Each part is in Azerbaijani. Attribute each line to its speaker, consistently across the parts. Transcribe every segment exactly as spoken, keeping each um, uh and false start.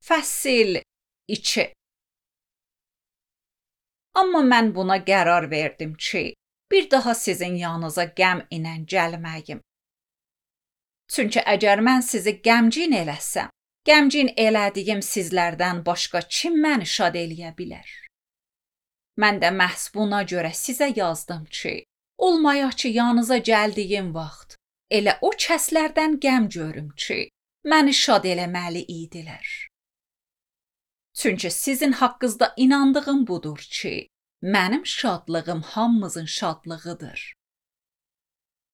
Speaker 1: Fəsil iki. Amma mən buna qərar verdim ki, bir daha sizin yanınıza qəm ilə gəlməyim. Çünki əgər mən sizi qəmgin eləsəm, qəmgin elədiyim sizlərdən başqa kim məni şad eləyə bilər? Mən də məhz buna görə sizə yazdım ki, olmaya ki yanınıza gəldiyim vaxt, elə o kəslərdən qəm görüm ki, məni şad eləməli idilər. Çünki sizin haqqınızda inandığım budur ki, mənim şadlığım hamımızın şadlığıdır.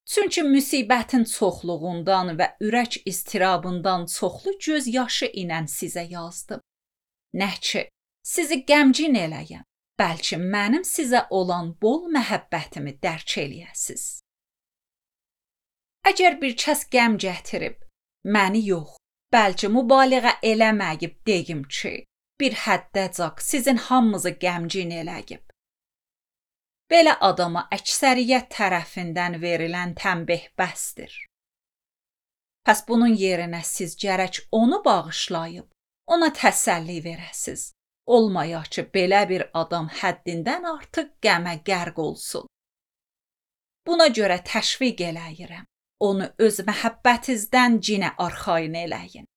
Speaker 1: Çünki müsibətin çoxluğundan və ürək istirabından çoxlu göz yaşı ilə sizə yazdım. Nə ki, sizi qəmgin eləyəm, bəlkə mənim sizə olan bol məhəbbətimi dərk eləyəsiz. Əgər bir kəs qəm gətirib, məni yox, bəlkə mübaliğə eləməyib deyim ki, bir həddəcaq sizin hamınızı qəmgin eləyib. Belə adama əksəriyyət tərəfindən verilən tənbih bəsdir. Pəs bunun yerinə siz gərək onu bağışlayıb, ona təsəlli verəsiz. Olmaya ki, belə bir adam həddindən artıq qəmə qərq olsun. Buna görə təşviq eləyirəm, onu öz məhəbbətinizdən cinə arxayın eləyin.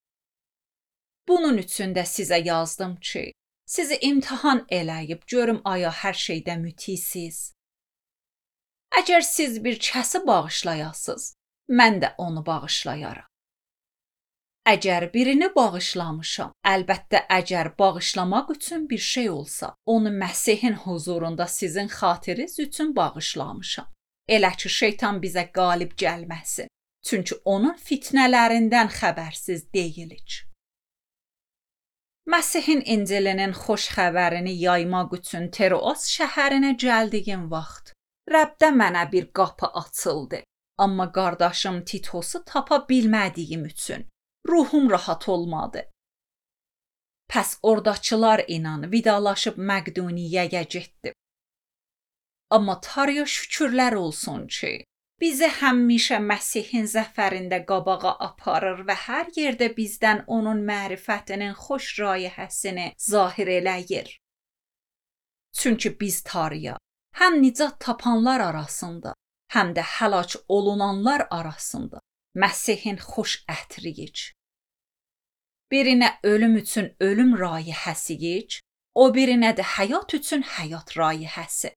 Speaker 1: Bunun üçün də sizə yazdım ki, sizi imtihan eləyib görüm aya hər şeydə mütisiz. Əgər siz bir kəsi bağışlayasınız, mən də onu bağışlayaram. Əgər birini bağışlamışam, əlbəttə əgər bağışlamaq üçün bir şey olsa, onu Məsihin huzurunda sizin xatiriniz üçün bağışlamışam. Elə ki, şeytan bizə qalib gəlməsin. Çünki onun fitnələrindən xəbərsiz deyilik. Məsihin İncilinin xoş xəbərini yaymaq üçün Troas şəhərinə gəldiyim vaxt, Rəbdə mənə bir qapı açıldı. Amma qardaşım Titosu tapa bilmədiyim üçün ruhum rahat olmadı. Pəs ordakılar ilə vidalaşıb Məqduniyyəyə getdim. Amma Tanrıya şükürlər olsun ki, bizi həmişə Məsihin zəfərində qabağa aparır və hər yerdə bizdən onun mərifətinin xoş rayihəsini zahir eləyir. Çünki biz Tanrıya həm nicat tapanlar arasında, həm də həlak olunanlar arasında Məsihin xoş ətriyik. Birinə ölüm üçün ölüm rayihəsiyik, o birinə də həyat üçün həyat rayihəsi.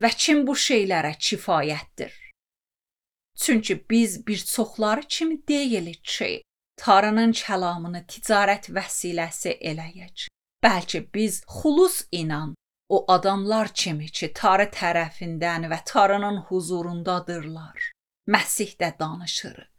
Speaker 1: Və kim bu şeylərə kifayətdir? Çünki biz bir çoxları kimi deyilik ki, Tanrının kəlamını ticarət vəsiləsi eləyək. Bəlkə biz xulus inan o adamlar kimi ki, Tanrı tərəfindən və Tanrının huzurundadırlar. Məsihdə danışırıq.